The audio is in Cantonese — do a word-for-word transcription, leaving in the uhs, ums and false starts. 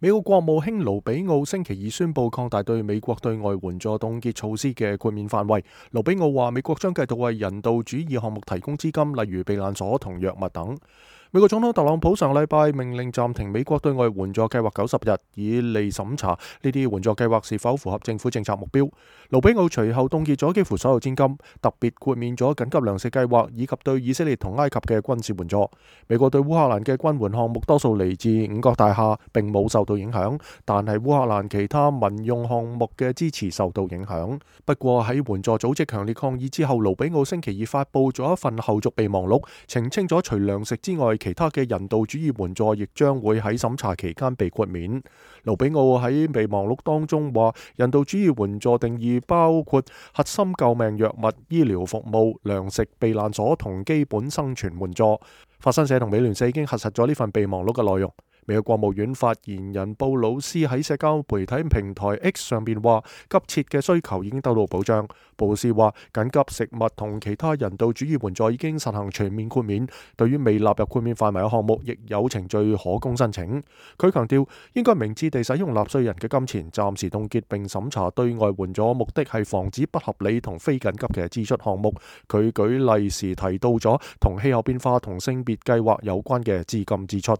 美國國務卿盧比奧星期二宣布擴大對美國對外援助凍結措施嘅豁免範圍。盧比奧話，美國將繼續為人道主義項目提供資金，例如避難所同藥物等。美國總統特朗普上禮拜命令暫停美國對外援助計劃九十日，以利審查呢啲援助計劃是否符合政府政策目標。盧比奧隨後凍結咗幾乎所有資金，特別豁免咗緊急糧食計劃以及對以色列同埃及嘅軍事援助。美國對烏克蘭嘅軍援項目多數嚟自五角大廈，並冇受到影響，但係烏克蘭其他民用項目嘅支持受到影響。不過喺援助組織強烈抗議之後，盧比奧星期二發布咗一份後續備忘錄，澄清咗除糧食之外，其他嘅人道主義援助亦將會喺審查期間被豁免。盧比奧喺備忘錄當中話，人道主義援助定義包括核心救命藥物、醫療服務、糧食、避難所同基本生存援助。法新社同美聯社已經核實咗呢份備忘錄嘅內容。美國國務院發言人布魯斯喺社交媒體平台 X 上邊話，急切嘅需求已經得到保障。布魯斯話，緊急食物同其他人道主義援助已經實行全面豁免，對於未納入豁免範圍嘅項目，亦有程序可供申請。佢強調，應該明智地使用納稅人嘅金錢，暫時凍結並審查對外援助，目的係防止不合理同非緊急嘅支出項目。佢舉例時提到咗同氣候變化同性別計劃有關嘅資金支出。